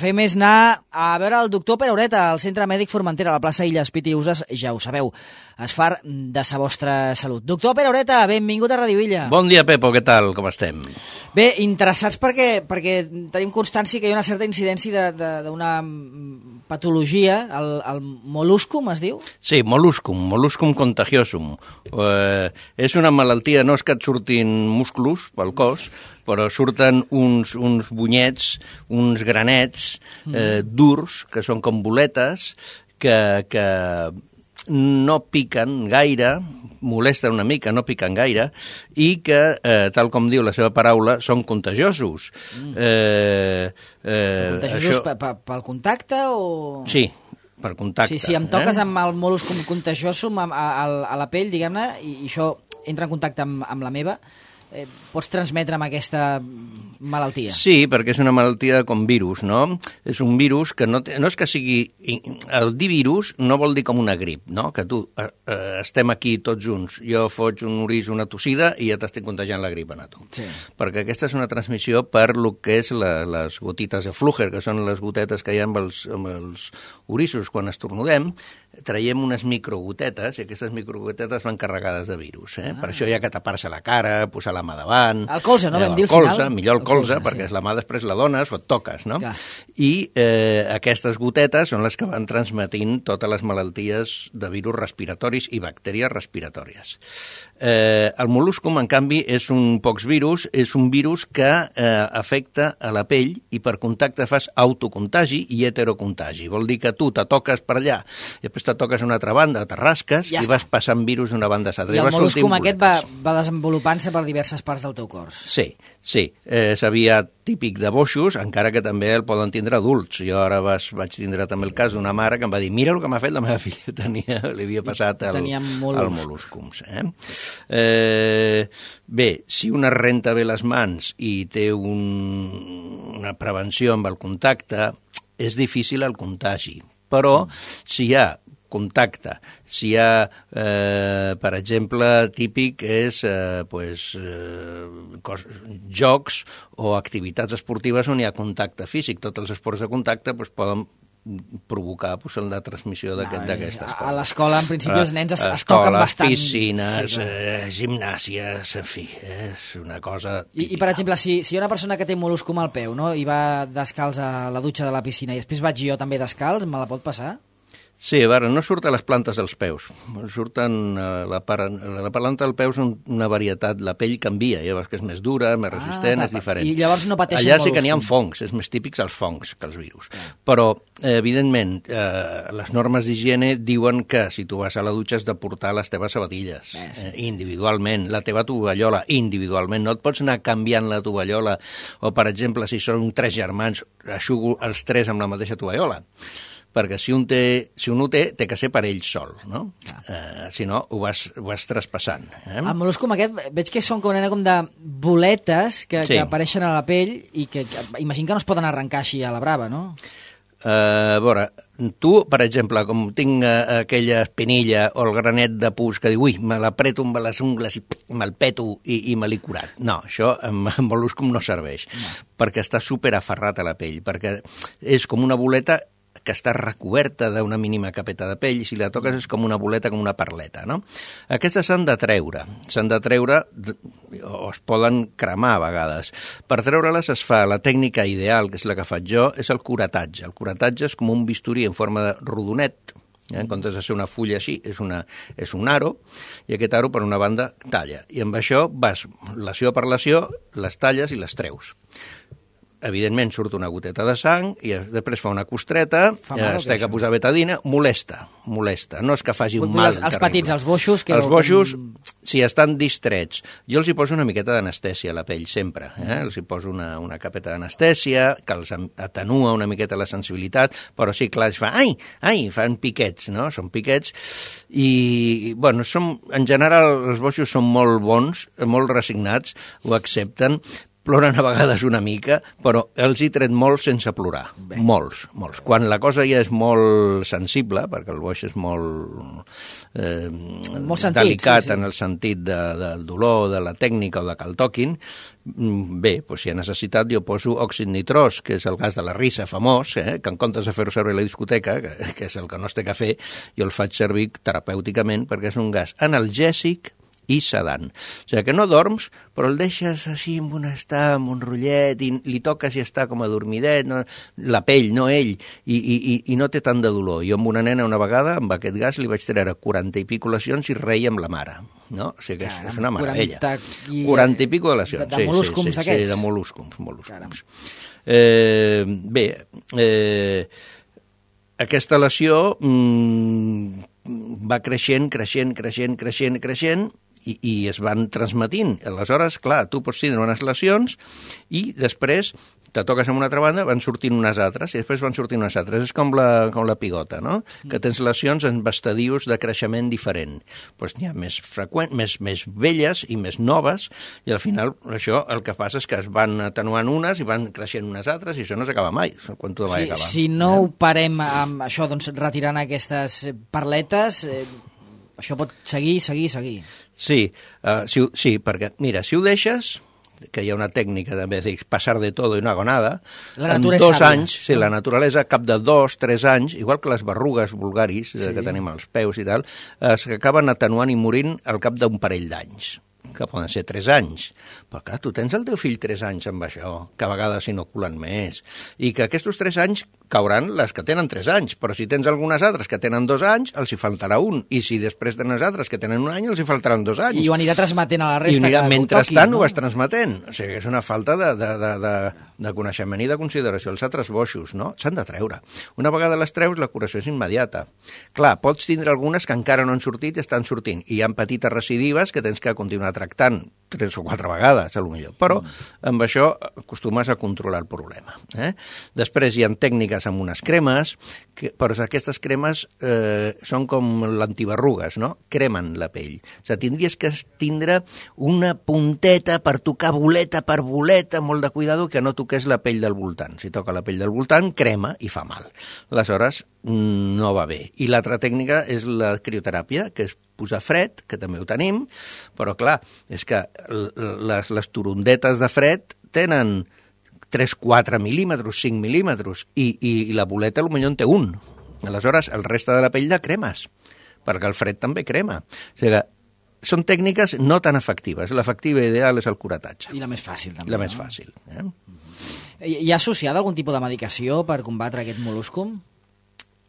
fem és anar a veure el doctor Pere Ureta al Centre Mèdic Formentera, a la plaça Illes Piti i Uses, ja ho sabeu, es fa de sa vostra salut. Doctor Pere Ureta, benvingut a Radio Illa. Bon dia, Pepo, què tal? Com estem? Bé, interessats perquè tenim constància que hi ha una certa incidència d'una patologia, el moluscum, es diu? Sí, moluscum contagiosum. És una malaltia, no és que et surtin músculs pel cos, però surten uns bunyets, uns granets durs, que són com boletes, que no piquen gaire, molesten una mica, no piquen gaire, i que, tal com diu la seva paraula, són contagiosos. Contagiosos pel contacte o...? Sí, per contacte. Si em toques amb el moluscum contagiosum a la pell, diguem-ne, i això entra en contacte amb la meva, pots transmetre'm aquesta malaltia? Sí, perquè és una malaltia com virus, no? És un virus que no és que sigui... El dir virus no vol dir com una grip, no? Que tu estem aquí tots junts, jo foig un oris, una tossida i ja t'estic contagiant la grip a tu. Sí. Perquè aquesta és una transmissió per lo que és les gotites de Fluger, que són les gotetes que hi ha amb els orissos quan estornudem, traiem unes microgotetes i aquestes microgotetes van carregades de virus. Per això hi ha que tapar-se la cara, posar la mà davant... El colze, no? Vam dir al final. Millor el colze, perquè la mà després la dones o et toques, no? Clar. I aquestes gotetes són les que van transmetint totes les malalties de virus respiratoris i bactèries respiratòries. El moluscum, en canvi, és un poxvirus, és un virus que afecta a la pell i per contacte fas autocontagi i heterocontagi. Vol dir que tu te toques per allà i després te toques a una altra banda, te rasques i vas passant virus d'una banda a l'altra. I el moluscum aquest va desenvolupant-se per diverses parts del teu cos. Sí. Sabia típic de boixos, encara que també el poden tindre adults. Jo ara vaig tindre també el cas d'una mare que em va dir mira el que m'ha fet la meva filla, li havia passat el moluscums. Bé, si una renta bé les mans i té una prevenció amb el contacte, és difícil el contagi. Però si hi ha contacte, si hi ha, per exemple, típic és jocs o activitats esportives on hi ha contacte físic. Tots els esports de contacte poden provocar la transmissió d'aquestes coses. A l'escola, en principi, els nens es toquen bastant. Piscines, gimnàsies, en fi, és una cosa típica. I per exemple, si hi ha una persona que té moluscum al peu, no?, i va descalç a la dutxa de la piscina i després vaig jo també descalç, me la pot passar? Sí, a veure, no surten les plantes dels peus, surten la planta del peu és una varietat, la pell canvia, ja veus que és més dura, més resistent, és diferent. I llavors no pateixen allà sí que n'hi ha fongs, és més típics els fongs que els virus. Però, evidentment, les normes d'higiene diuen que si tu vas a la dutxa has de portar les teves sabatilles, individualment, la teva tovallola, individualment, no et pots anar canviant la tovallola, o, per exemple, si són 3 germans, eixugo els 3 amb la mateixa tovallola. Perquè si un ho té que ser per ell sol, no? Si no, ho vas traspassant. El moluscum aquest, veig que són com de boletes que apareixen a la pell i que imagino que no es poden arrencar així a la brava, no? A veure, tu, per exemple, com tinc aquella espinilla o el granet de pus que diu, ui, me l'apreto amb les ungles i me'l peto i me l'he curat. No, això amb moluscum no serveix, perquè està superaferrat a la pell, perquè és com una boleta que està recoberta d'una mínima capeta de pell, i si la toques és com una boleta, com una perleta, no? Aquestes s'han de treure, o es poden cremar a vegades. Per treure-les es fa la tècnica ideal, que és la que faig jo, és el curatatge. El curatatge és com un bisturí en forma de rodonet, en comptes de ser una fulla així, és un aro, i aquest aro per una banda talla. I amb això vas, lesió per lesió, les talles i les treus. Evidentment surt una goteta de sang i després fa una costreta, es té que posar betadina, molesta. No és que faci un mal terrible. Els petits, els boixos... Els boixos, si estan distrets. Jo els hi poso una miqueta d'anestèsia a la pell, sempre. Els hi poso una capeta d'anestèsia, que els atenua una miqueta la sensibilitat, però sí, clar, es fa, fan piquets, no? Són piquets. I, bueno, en general, els boixos són molt bons, molt resignats, ho accepten, ploren a vegades una mica, però els hi tret molt sense plorar. Molts. Quan la cosa ja és molt sensible, perquè el boix és molt delicat en el sentit del dolor, de la tècnica o de que el toquin, bé, doncs si ha necessitat jo poso òxid nitrós, que és el gas de la risa famós, que en comptes de fer-ho servir a la discoteca, que és el que no es té que fer, jo el faig servir terapèuticament perquè és un gas analgèsic i sedant. O sigui que no dorms, però el deixes així amb un rotllet, i li toques i està com adormidet, no? La pell, no ell, i no té tant de dolor. Jo amb una nena una vegada, amb aquest gas, li vaig treure 40 i pico lesions i reia amb la mare. No? O sigui que és una meravella. 40 i pico de lesions. De mol·luscums aquests? Sí, de mol·luscums. Bé, aquesta lesió va creixent, i es van transmetint. Aleshores, clar, tu pots tindre unes lesions i després te toques amb una altra banda, van sortint unes altres, i després van sortint unes altres. És com la pigota, no? Que tens lesions en estadius de creixement diferent. Doncs n'hi ha més freqüents, més velles i més noves, i al final això el que passa és que es van atenuant unes i van creixent unes altres, i això no s'acaba mai, quan tu mai acabar. Si no ho parem amb això, doncs retirant aquestes perletes, això pot seguir. Sí, perquè, mira, si ho deixes, que hi ha una tècnica també de passar de tot i no hago nada, en 2 anys, la naturalesa, cap de 2-3 anys, igual que les berrugues vulgaris que tenim als peus i tal, s'acaben atenuant i morint al cap d'un parell d'anys, que poden ser 3 anys. Però clar, tu tens el teu fill 3 anys amb això, que a vegades s'inoculen més, i que aquests 3 anys cauran les que tenen 3 anys, però si tens algunes altres que tenen 2 anys, els hi faltarà un, i si després tenen les altres que tenen 1 any, els hi faltaran 2 anys. I ho anirà transmetent a la resta. I mentrestant ho vas transmetent. O sigui, és una falta de coneixement i de consideració. Els altres boixos, no? S'han de treure. Una vegada les treus, la curació és immediata. Clar, pots tindre algunes que encara no han sortit i estan sortint, i hi ha petites recidives que tens que continuar tractant 3 o 4 vegades, potser. Però amb això acostumes a controlar el problema. Després hi ha tècniques amb unes cremes, però aquestes cremes són com l'antiberrugues, no? Cremen la pell. O sigui, tindries que tindre una punteta per tocar boleta per boleta, molt de cuidado, que no toqués la pell del voltant. Si toca la pell del voltant, crema i fa mal. Aleshores, no va bé. I l'altra tècnica és la crioteràpia, que és posar fred, que també ho tenim, però clar, és que les turondetes de fred tenen 3-4 mil·límetres, 5 mil·límetres, i la boleta potser en té 1. Aleshores, el reste de la pell la cremes, perquè el fred també crema. O sigui que són tècniques no tan efectives. L'efectiva ideal és el curatatge. I la més fàcil, també. La més fàcil. Hi ha associada algun tipus de medicació per combatre aquest mol·luscum?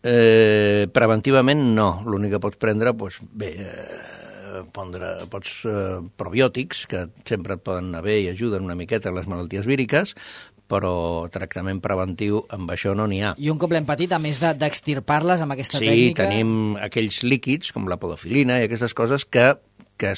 Preventivament no. L'únic que pots prendre, doncs, bé, pots probiòtics, que sempre et poden anar bé i ajuden una miqueta a les malalties víriques, però tractament preventiu amb això no n'hi ha. I un cop l'hem patit, a més d'extirpar-les amb aquesta tècnica... Sí, tenim aquells líquids, com la podofilina i aquestes coses que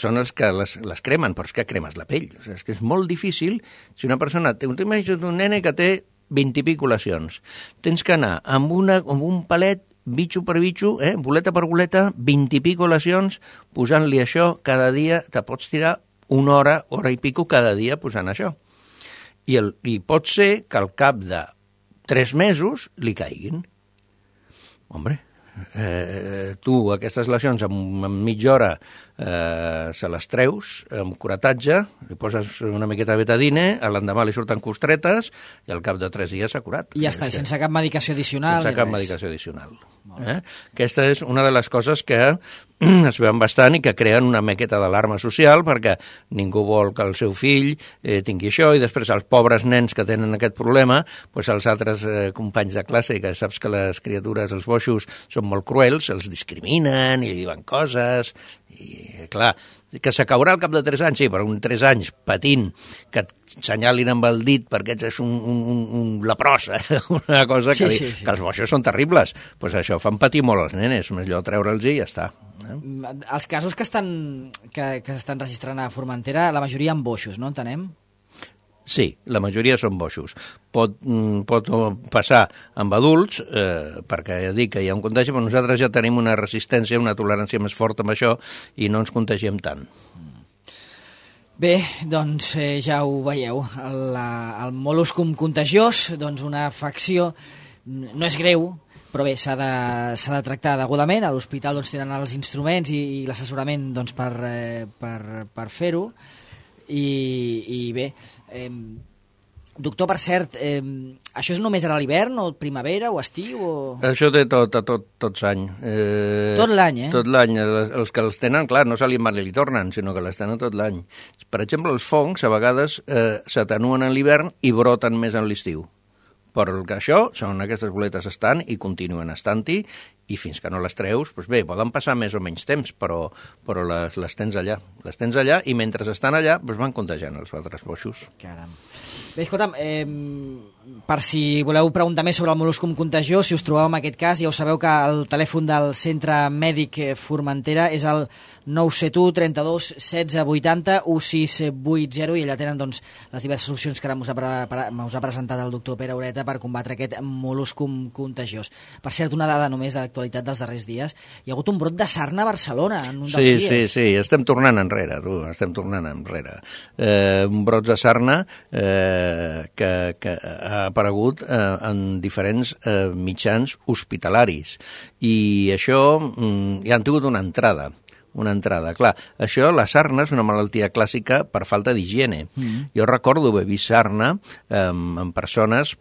són els que les cremen, però és que cremes la pell. O sigui, és que és molt difícil. Si una persona... T'imagines un nene que té 20 i pico lesions. Tens que anar amb un palet, bitxo per bitxo, boleta per boleta, 20 i pico lesions, posant-li això cada dia. Te pots tirar 1 hora, hora i pico cada dia posant això. I pot ser que al cap de 3 mesos li caiguin. Hombre, tu aquestes lesions en mitja hora se les treus amb curatatge, li poses una miqueta de betadine, l'endemà li surten costretes i al cap de 3 dies s'ha curat. I ja està, sense cap medicació addicional. Sense cap medicació addicional. Aquesta és una de les coses que es veuen bastant i que creen una miqueta d'alarma social, perquè ningú vol que el seu fill tingui això, i després els pobres nens que tenen aquest problema, doncs els altres companys de classe, que saps que les criatures, els boixos, són molt cruels, els discriminen i li diuen coses, i clar, que s'acabarà al cap de 3 anys, sí, però 3 anys patint, que et senyalin amb el dit perquè ets un leprós, una cosa que els boixos són terribles. Doncs això, fan patir molt els nenes, millor treure'ls i ja està. Els casos que s'estan registrant a Formentera, la majoria amb boixos, no entenem? Sí, la majoria són boixos. Pot passar amb adults, perquè ja dic que hi ha un contagi, però nosaltres ja tenim una resistència, una tolerància més forta amb això i no ens contagiem tant. Bé, doncs ja ho veieu, el mol·luscum contagiós, doncs una afecció, no és greu, però bé, s'ha de tractar degudament. A l'hospital doncs, tenen els instruments i l'assessorament doncs, per fer-ho. I bé, doctor, per cert, això és només ara a l'hivern, o primavera, o estiu? O... Això té tot l'any. Tot l'any, eh? Tot l'any. Els que els tenen, clar, no se li van i li tornen, sinó que les tenen tot l'any. Per exemple, els fongs, a vegades, s'atenuen en l'hivern i broten més en l'estiu. Però el que això són aquestes boletes estan i continuen estant-hi, i fins que no les treus, doncs bé, poden passar més o menys temps, però les tens allà. Les tens allà i mentre estan allà doncs van contagiant els altres boixos. Caram. Bé, escolta'm, per si voleu preguntar més sobre el mol·luscum contagiós, si us trobeu en aquest cas, ja ho sabeu que el telèfon del Centre Mèdic Formentera és el 971 32 16 80 1680 i allà tenen doncs, les diverses opcions que ara us ha presentat el doctor Pere Ureta per combatre aquest mol·luscum contagiós. Per cert, una dada només d'actualitat dels darrers dies, hi ha hagut un brot de sarna a Barcelona en un dels dies. Sí, estem tornant enrere, un brot de sarna que ha aparegut en diferents mitjans hospitalaris i això ja han tingut una entrada. Clar, això, la sarna és una malaltia clàssica per falta d'higiene. Jo recordo haver vist sarna en persones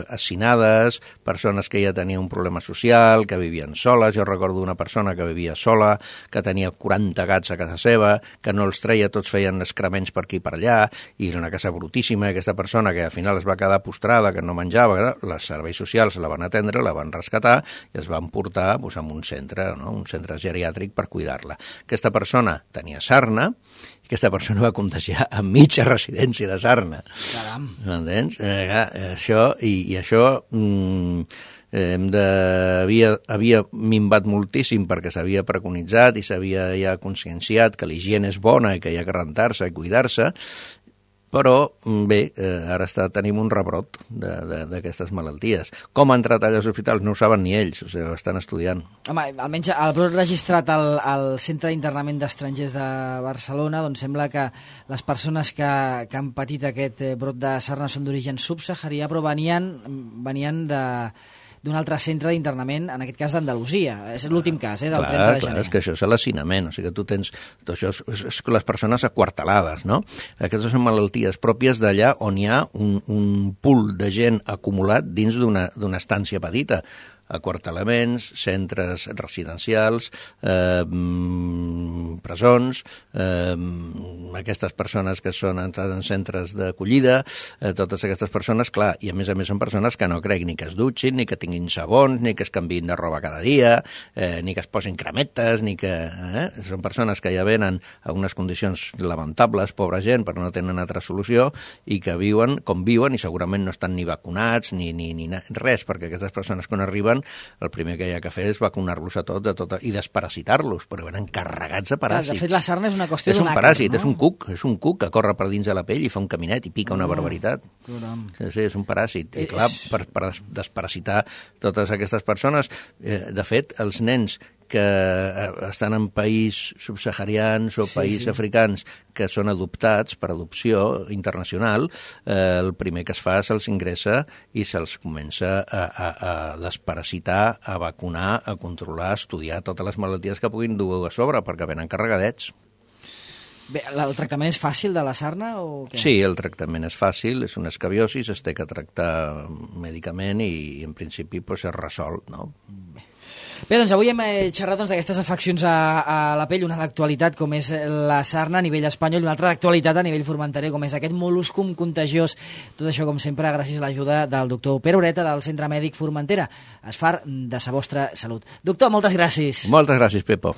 assinades, persones que ja tenien un problema social, que vivien soles. Jo recordo una persona que vivia sola, que tenia 40 gats a casa seva, que no els treia, tots feien excrements per aquí i per allà, i era una casa brutíssima, aquesta persona que al final es va quedar postrada, que no menjava, els serveis socials la van atendre, la van rescatar i es van portar a un centre, no? Un centre geriàtric per cuidar. Aquesta persona tenia sarna i aquesta persona va contagiar a mitja residència de sarna. Caram. M'entens? Això havia minvat moltíssim perquè s'havia preconitzat i s'havia ja conscienciat que l'higiene és bona i que hi ha que rentar-se i cuidar-se, però bé, ara tenim un rebrot d'aquestes malalties. Com ha entrat allà als hospitals no ho saben ni ells, o sigui, ho estan estudiant. Home, almenys el brot registrat al Centre d'Internament d'Estrangers de Barcelona, doncs sembla que les persones que han patit aquest brot de sarna són d'origen subsaharià, però venien d'un altre centre d'internament, en aquest cas d'Andalusia. És l'últim cas, del 30 de gener. Clar, és que això és l'hacinament, o sigui que tu tens... Això és les persones aquartelades, no? Aquestes són malalties pròpies d'allà on hi ha un pool de gent acumulat dins d'una estància petita. Aquartelaments, centres residencials, presons, aquestes persones que són en centres d'acollida, totes aquestes persones, clar, i a més són persones que no crec ni que es dutxin, ni que tinguin sabons, ni que es canviïn de roba cada dia, ni que es posin cremetes, ni que... Són persones que ja venen a unes condicions lamentables, pobra gent, però no tenen altra solució, i que viuen com viuen i segurament no estan ni vacunats ni res, perquè aquestes persones quan arriben el primer que hi ha que fer és vacunar-los a tot i desparasitar-los, però venen carregats de paràsits. De fet, la sarna és una qüestió d'un àcar, no? És un cuc que corre per dins de la pell i fa un caminet i pica una barbaritat. Sí, és un paràsit. I clar, per desparasitar totes aquestes persones, de fet, els nens que estan en països subsaharians o països africans que són adoptats per adopció internacional, el primer que es fa se'ls ingressa i se'ls comença a desparasitar, a vacunar, a controlar, a estudiar totes les malalties que puguin dur a sobre, perquè venen carregadets. Bé, el tractament és fàcil de la sarna o què? Sí, el tractament és fàcil, és una escabiosi, es té que tractar mèdicament i en principi es resol, no? Bé, doncs avui hem xerrat d'aquestes afeccions a la pell, una d'actualitat com és la sarna a nivell espanyol i una altra d'actualitat a nivell formenterer com és aquest mol·luscum contagiós. Tot això, com sempre, gràcies a l'ajuda del doctor Pere Ureta del Centre Mèdic Formentera. Es fa de sa vostra salut. Doctor, moltes gràcies. Moltes gràcies, Pepo.